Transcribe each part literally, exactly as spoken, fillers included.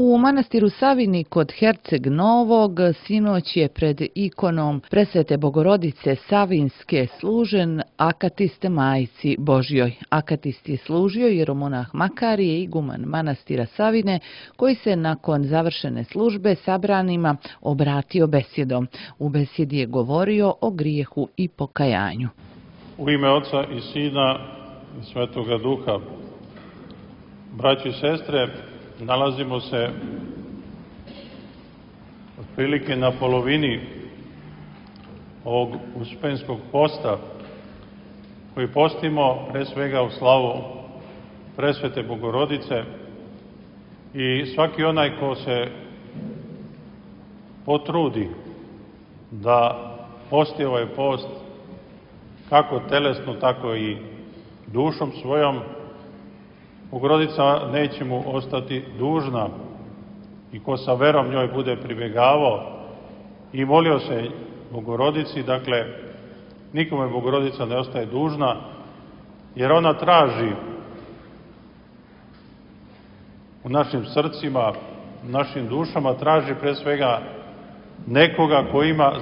U manastiru Savini kod Herceg Novog sinoć je pred ikonom Presvete Bogorodice Savinske služen akatist Majci Božjoj. Akatist je služio jeromonah Makarije, iguman manastira Savine, koji se nakon završene službe sabranima obratio besjedom. U besjedi je govorio o grijehu i pokajanju. U ime Oca i Sina i Svetoga Duha. Braći i sestre, nalazimo se otprilike na polovini ovog uspenskog posta koji postimo pre svega u slavu Presvete Bogorodice i svaki onaj ko se potrudi da posti ovaj post kako telesno, tako i dušom svojom, Bogorodica neće mu ostati dužna i ko sa verom njoj bude pribjegavao i molio se Bogorodici, dakle, nikome Bogorodica ne ostaje dužna, jer ona traži u našim srcima, u našim dušama, traži pre svega nekoga ko ima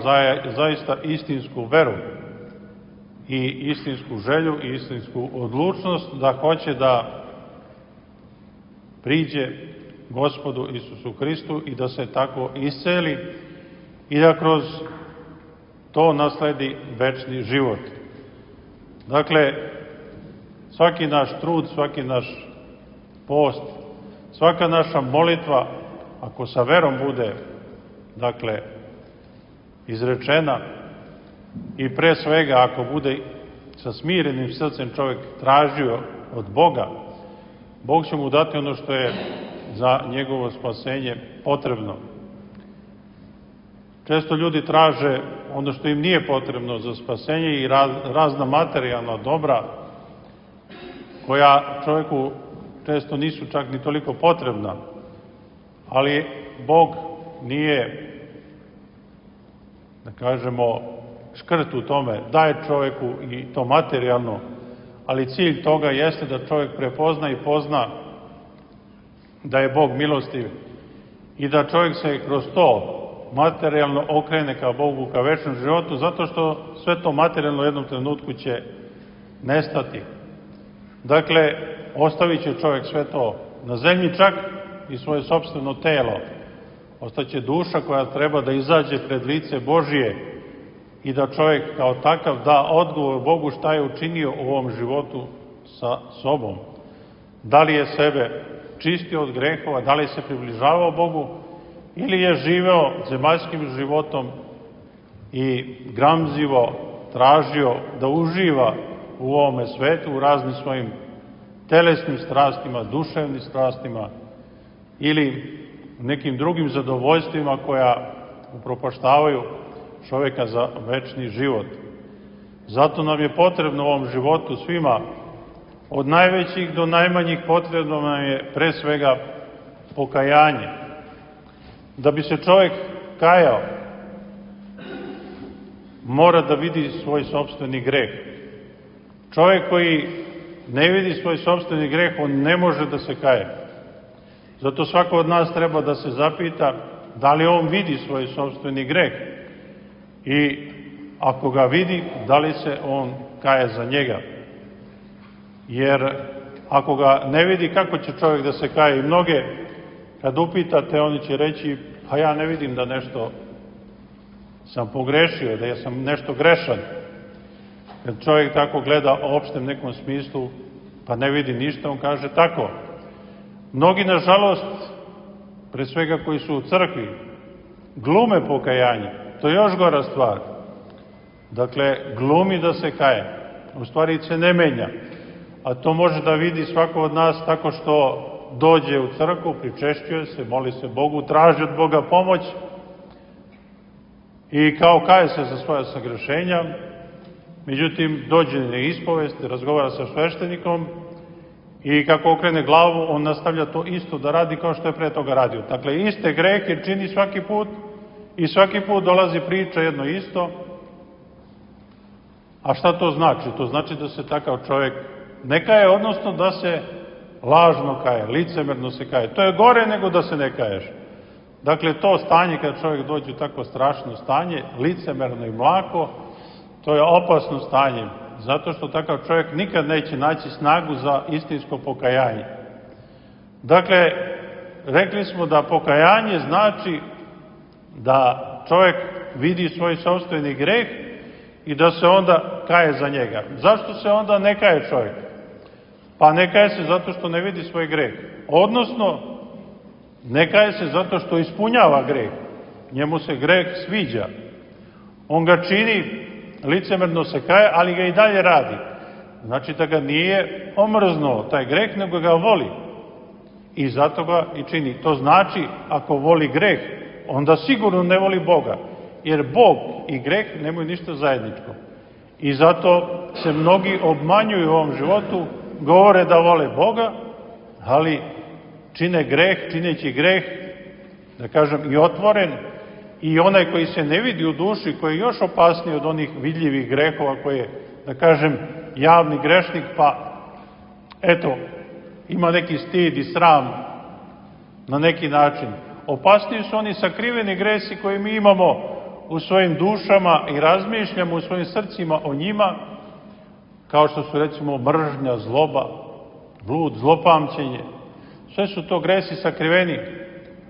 zaista istinsku veru i istinsku želju i istinsku odlučnost da hoće da priđe Gospodu Isusu Hristu i da se tako isceli i da kroz to nasledi večni život. Dakle, svaki naš trud, svaki naš post, svaka naša molitva, ako sa verom bude, dakle, izrečena i pre svega ako bude sa smirenim srcem čovjek tražio od Boga, Bog će mu dati ono što je za njegovo spasenje potrebno. Često ljudi traže ono što im nije potrebno za spasenje i razna materijalna dobra koja čovjeku često nisu čak ni toliko potrebna, ali Bog nije, da kažemo, škrt u tome, daje čovjeku i to materijalno, ali cilj toga jeste da čovjek prepozna i pozna da je Bog milostiv i da čovjek se kroz to materijalno okrene ka Bogu, ka večnom životu, zato što sve to materijalno u jednom trenutku će nestati. Dakle, ostavit će čovjek sve to na zemlji, čak i svoje sopstveno telo. Ostaće duša koja treba da izađe pred lice Božije i da čovjek kao takav da odgovor Bogu šta je učinio u ovom životu sa sobom. Da li je sebe čistio od grehova, da li se približavao Bogu ili je živeo zemaljskim životom i gramzivo tražio da uživa u ovome svetu, u raznim svojim telesnim strastima, duševnim strastima ili nekim drugim zadovoljstvima koja upropaštavaju čovjeka za večni život. Zato nam je potrebno u ovom životu svima, od najvećih do najmanjih, potrebno nam je pre svega pokajanje. Da bi se čovjek kajao, mora da vidi svoj sopstveni greh. Čovjek koji ne vidi svoj sopstveni greh, on ne može da se kaje. Zato svako od nas treba da se zapita da li on vidi svoj sopstveni greh i ako ga vidi, da li se on kaje za njega. Jer ako ga ne vidi, kako će čovjek da se kaje? I mnoge, kad upitate, oni će reći, pa ja ne vidim da nešto sam pogrešio, da ja sam nešto grešan. Kad čovjek tako gleda u opštem nekom smislu, pa ne vidi ništa, on kaže tako. Mnogi, nažalost, pre svega koji su u crkvi, glume pokajanje. To je još gora stvar. Dakle, glumi da se kaje. U stvari se ne menja. A to može da vidi svako od nas tako što dođe u crkvu, pričešćuje se, moli se Bogu, traži od Boga pomoć i kao kaje se za svoja sagrešenja. Međutim, dođe na ispovest, razgovara sa sveštenikom i kako okrene glavu, on nastavlja to isto da radi kao što je pre toga radio. Dakle, iste grehe čini svaki put i svaki put dolazi priča jedno isto. A šta to znači? To znači da se takav čovjek ne kaje, odnosno da se lažno kaje, licemerno se kaje. To je gore nego da se ne kaješ. Dakle, to stanje kad čovjek dođe u tako strašno stanje, licemerno i mlako, to je opasno stanje, zato što takav čovjek nikad neće naći snagu za istinsko pokajanje. Dakle, rekli smo da pokajanje znači da čovjek vidi svoj sopstveni greh i da se onda kaje za njega. Zašto se onda ne kaje čovjek? Pa ne kaje se zato što ne vidi svoj greh. Odnosno, ne kaje se zato što ispunjava greh. Njemu se greh sviđa. On ga čini, licemerno se kaje, ali ga i dalje radi. Znači da ga nije omrznuo taj greh, nego ga voli. I zato ga i čini. To znači, ako voli greh, onda sigurno ne voli Boga. Jer Bog i greh nemaju ništa zajedničko. I zato se mnogi obmanjuju u ovom životu, govore da vole Boga, ali čine greh, čineći greh, da kažem, i otvoren, i onaj koji se ne vidi u duši, koji je još opasniji od onih vidljivih grehova, koji je, da kažem, javni grešnik, pa, eto, ima neki stid i sram na neki način. Opasniji su oni sakriveni gresi koje mi imamo u svojim dušama i razmišljamo u svojim srcima o njima, kao što su, recimo, mržnja, zloba, blud, zlopamćenje. Sve su to gresi sakriveni.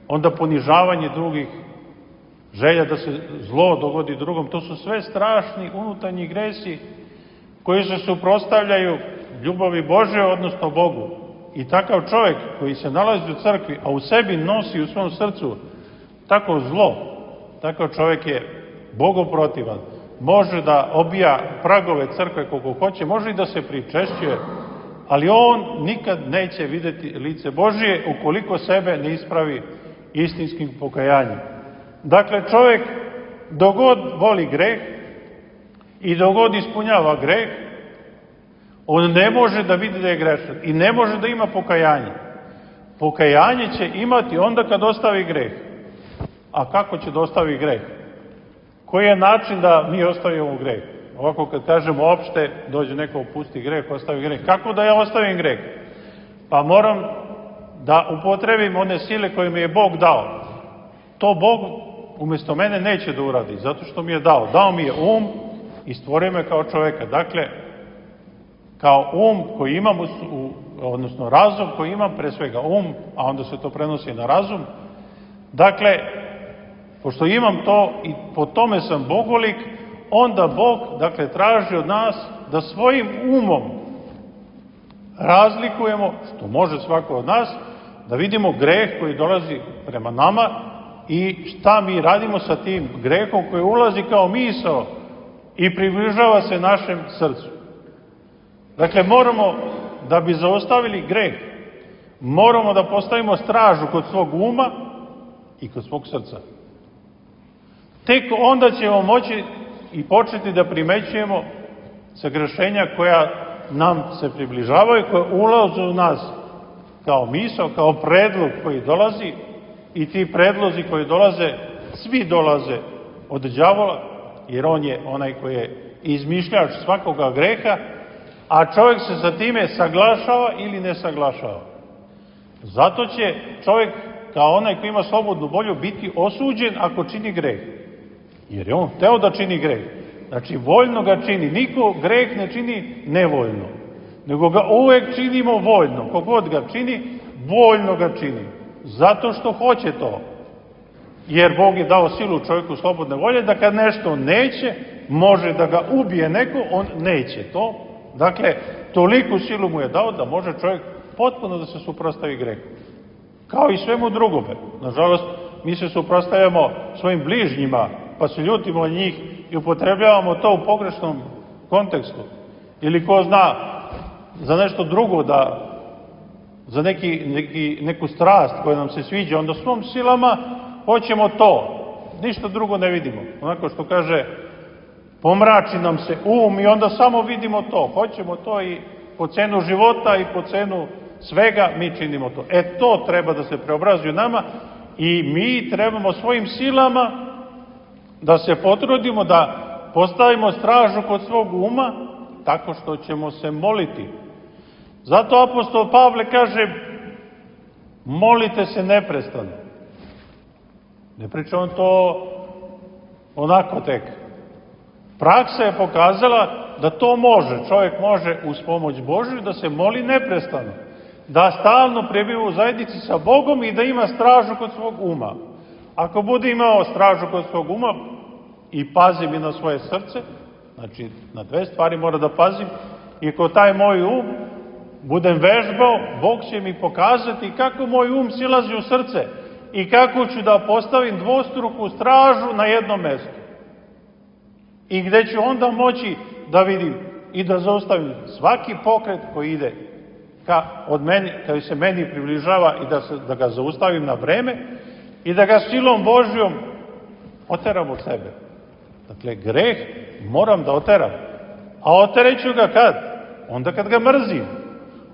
Onda ponižavanje drugih, želja da se zlo dogodi drugom. To su sve strašni unutarnji gresi koji se suprotstavljaju ljubavi Božje, odnosno Bogu. I takav čovjek koji se nalazi u crkvi, a u sebi nosi u svom srcu tako zlo, takav čovjek je bogoprotivan. Može da obija pragove crkve koliko hoće, može i da se pričešćuje, ali on nikad neće vidjeti lice Božije ukoliko sebe ne ispravi istinskim pokajanjem. Dakle, čovjek dogod voli greh i dogod ispunjava greh, on ne može da vidi da je grešan i ne može da ima pokajanje. Pokajanje će imati onda kad ostavi greh. A kako će da ostavi greh? Koji je način da mi ostavimo greh? Ovako kad kažemo opšte, dođe neko opusti greh, ostavi greh. Kako da ja ostavim greh? Pa moram da upotrebim one sile koje mi je Bog dao. To Bog umjesto mene neće da uradi, zato što mi je dao. Dao mi je um i stvorio me kao čoveka. Dakle, kao um koji imam, odnosno razum koji imam, pre svega um, a onda se to prenosi na razum. Dakle, pošto imam to i po tome sam bogolik, onda Bog, dakle, traži od nas da svojim umom razlikujemo, što može svako od nas, da vidimo greh koji dolazi prema nama i šta mi radimo sa tim grehom koji ulazi kao misao i približava se našem srcu. Dakle, moramo, da bi zaustavili greh, moramo da postavimo stražu kod svog uma i kod svog srca. Tek onda ćemo moći i početi da primećujemo sagrešenja koja nam se približavaju, koja ulaze u nas kao misao, kao predlog koji dolazi, i ti predlozi koji dolaze, svi dolaze od đavola, jer on je onaj koji je izmišljač svakoga greha, a čovjek se sa time saglašava ili ne saglašava. Zato će čovjek, kao onaj koji ima slobodnu volju, biti osuđen ako čini greh. Jer je on hteo da čini greh. Znači, voljno ga čini. Niko greh ne čini nevoljno, nego ga uvek činimo voljno. Kogod ga čini, voljno ga čini. Zato što hoće to. Jer Bog je dao silu čovjeku slobodne volje, da kad nešto neće, može da ga ubije neko, on neće to. Dakle, toliku silu mu je dao da može čovjek potpuno da se suprotstavi grehu. Kao i svemu drugome. Nažalost, mi se suprotstavljamo svojim bližnjima, pa se ljutimo od njih i upotrebljavamo to u pogrešnom kontekstu. Ili ko zna za nešto drugo, da za neki, neki, neku strast koja nam se sviđa, onda svom silama hoćemo to. Ništa drugo ne vidimo. Onako što kaže, pomrači nam se um i onda samo vidimo to. Hoćemo to i po cenu života i po cenu svega mi činimo to. E to treba da se preobrazuje nama i mi trebamo svojim silama da se potrudimo da postavimo stražu kod svog uma tako što ćemo se moliti. Zato apostol Pavle kaže, molite se neprestano. Ne priča on to onako tek. Praksa je pokazala da to može. Čovjek može uz pomoć Božju da se moli neprestano. Da stalno prebiva u zajednici sa Bogom i da ima stražu kod svog uma. Ako bude imao stražu kod svog uma i pazim i na svoje srce, znači na dve stvari mora da pazim, i ako taj moj um budem vežbao, Bog će mi pokazati kako moj um silazi u srce i kako ću da postavim dvostruku stražu na jednom mestu. I gde ću onda moći da vidim i da zaustavim svaki pokret koji ide ka, od meni, kada se meni približava i da, se, da ga zaustavim na vreme i da ga silom Božjom oteram od sebe. Dakle, greh moram da oteram. A otereću ga kad? Onda kad ga mrzim.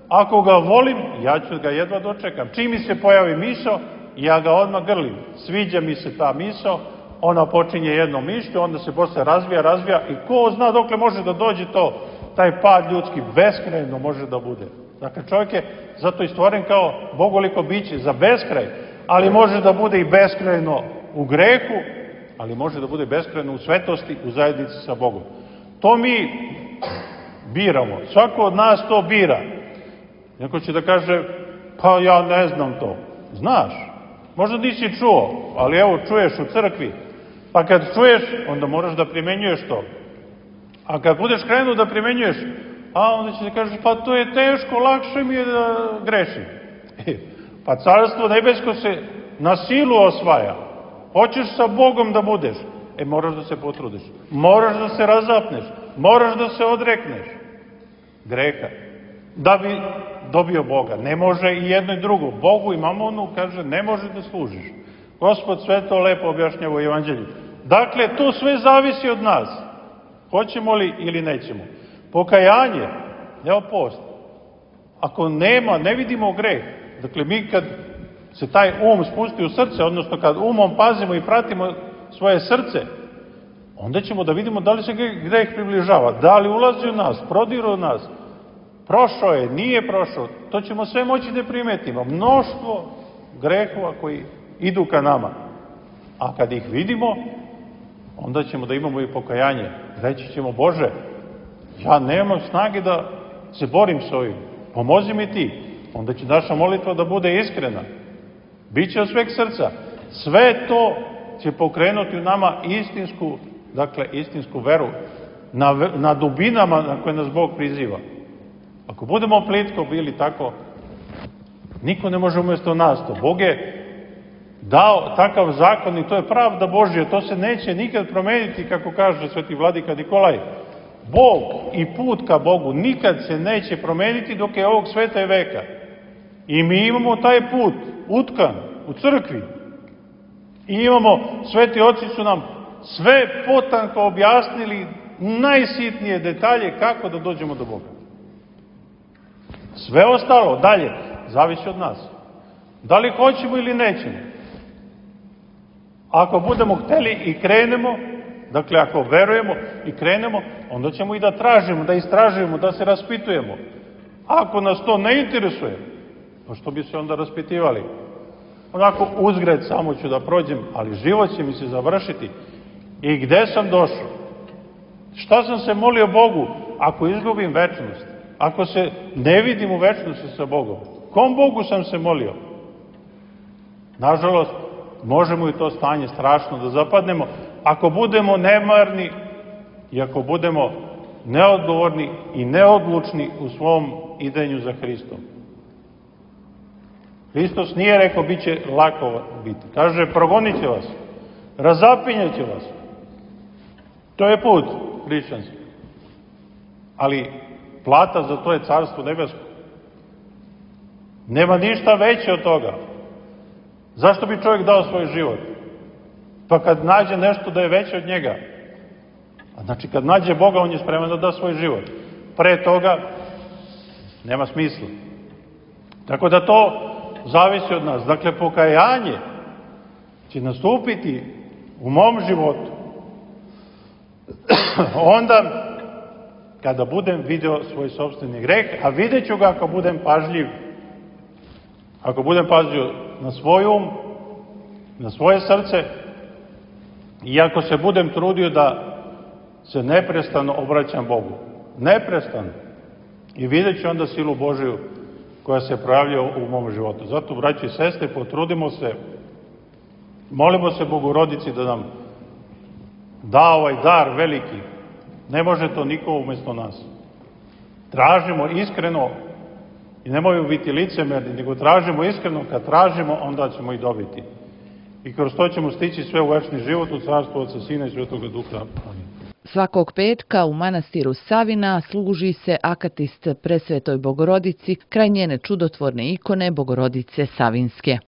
Ako ga volim, ja ću ga jedva dočekam. Čim mi se pojavi misao, ja ga odmah grlim. Sviđa mi se ta misao, ona počinje jednom mišlju, onda se posle razvija, razvija i ko zna dokle može da dođe to, taj pad ljudski, beskrajno može da bude. Dakle, čovjek je zato i stvoren kao bogoliko biće za beskraj, ali može da bude i beskrajno u grehu, ali može da bude beskrajno u svetosti, u zajednici sa Bogom. To mi biramo. Svako od nas to bira. Neko će da kaže, pa ja ne znam to. Znaš, možda nisi čuo, ali evo čuješ u crkvi. Pa kad čuješ, onda moraš da primenjuješ to. A kad budeš krenuo da primenjuješ, a onda će da kažeš, pa to je teško, lakše mi je da grešim. E, pa carstvo nebesko se na silu osvaja. Hoćeš sa Bogom da budeš, e moraš da se potrudiš. Moraš da se razapneš, moraš da se odrekneš greha. Da bi dobio Boga. Ne može i jedno i drugo. Bogu i mamonu, kaže, ne može da služiš. Gospod sve to lepo objašnjava u Evanđelju. Dakle, to sve zavisi od nas. Hoćemo li ili nećemo. Pokajanje, evo post. Ako nema, ne vidimo greh. Dakle, mi kad se taj um spusti u srce, odnosno kad umom pazimo i pratimo svoje srce, onda ćemo da vidimo da li se greh približava, da li ulazi u nas, prodire u nas, prošao je, nije prošao, to ćemo sve moći da primetimo. Mnoštvo grehova koji idu ka nama. A kad ih vidimo, onda ćemo da imamo i pokajanje. Reći ćemo, Bože, ja nemam snage da se borim s ovim, pomozi mi ti. Onda će naša molitva da bude iskrena. Biće od sveg srca. Sve to će pokrenuti u nama istinsku, dakle, istinsku veru na, na dubinama na koje nas Bog priziva. Ako budemo plitko bili tako, niko ne može umjesto nas to. Bog je dao takav zakon i to je pravda Božja. To se neće nikad promeniti, kako kaže sveti vladika Nikolaj. Bog i put ka Bogu nikad se neće promeniti dok je ovog sveta i veka. I mi imamo taj put utkan u crkvi. I imamo, sveti oci su nam sve potanko objasnili najsitnije detalje kako da dođemo do Boga. Sve ostalo dalje zavisi od nas. Da li hoćemo ili nećemo. Ako budemo hteli i krenemo, dakle ako verujemo i krenemo, onda ćemo i da tražimo, da istražujemo, da se raspitujemo. Ako nas to ne interesuje, pa što bi se onda raspitivali? Onako uzgred samo ću da prođem, ali život će mi se završiti. I gde sam došao? Šta sam se molio Bogu ako izgubim večnost? Ako se ne vidim u večnosti sa Bogom? Kom Bogu sam se molio? Nažalost, možemo i to stanje strašno da zapadnemo ako budemo nemarni i ako budemo neodgovorni i neodlučni u svom idenju za Hristom. Hristos nije rekao, bit će lako biti. Kaže, progonit će vas, razapinjet će vas. To je put hrišćanski. Ali plata za to je carstvo nebesko. Nema ništa veće od toga. Zašto bi čovjek dao svoj život? Pa kad nađe nešto da je veće od njega. A znači kad nađe Boga, on je spreman da da svoj život. Pre toga nema smisla. Tako da to zavisi od nas. Dakle, pokajanje će nastupiti u mom životu onda kada budem video svoj sopstveni greh, a vidjet ću ga ako budem pažljiv, ako budem pazio na svoj um, na svoje srce i ako se budem trudio da se neprestano obraćam Bogu. Neprestano. I vidjet ću onda silu Božiju koja se projavlja u mom životu. Zato, braći i sestre, potrudimo se, molimo se Bogorodici da nam da ovaj dar veliki. Ne može to niko umjesto nas. Tražimo iskreno i nemojmo biti licemerni, nego tražimo iskreno. Kad tražimo, onda ćemo i dobiti. I kroz to ćemo stići sve u večni život u carstvu Otca, Sina i Svetoga Duha. Amin. Svakog petka u manastiru Savina služi se akatist Presvetoj Bogorodici kraj njene čudotvorne ikone Bogorodice Savinske.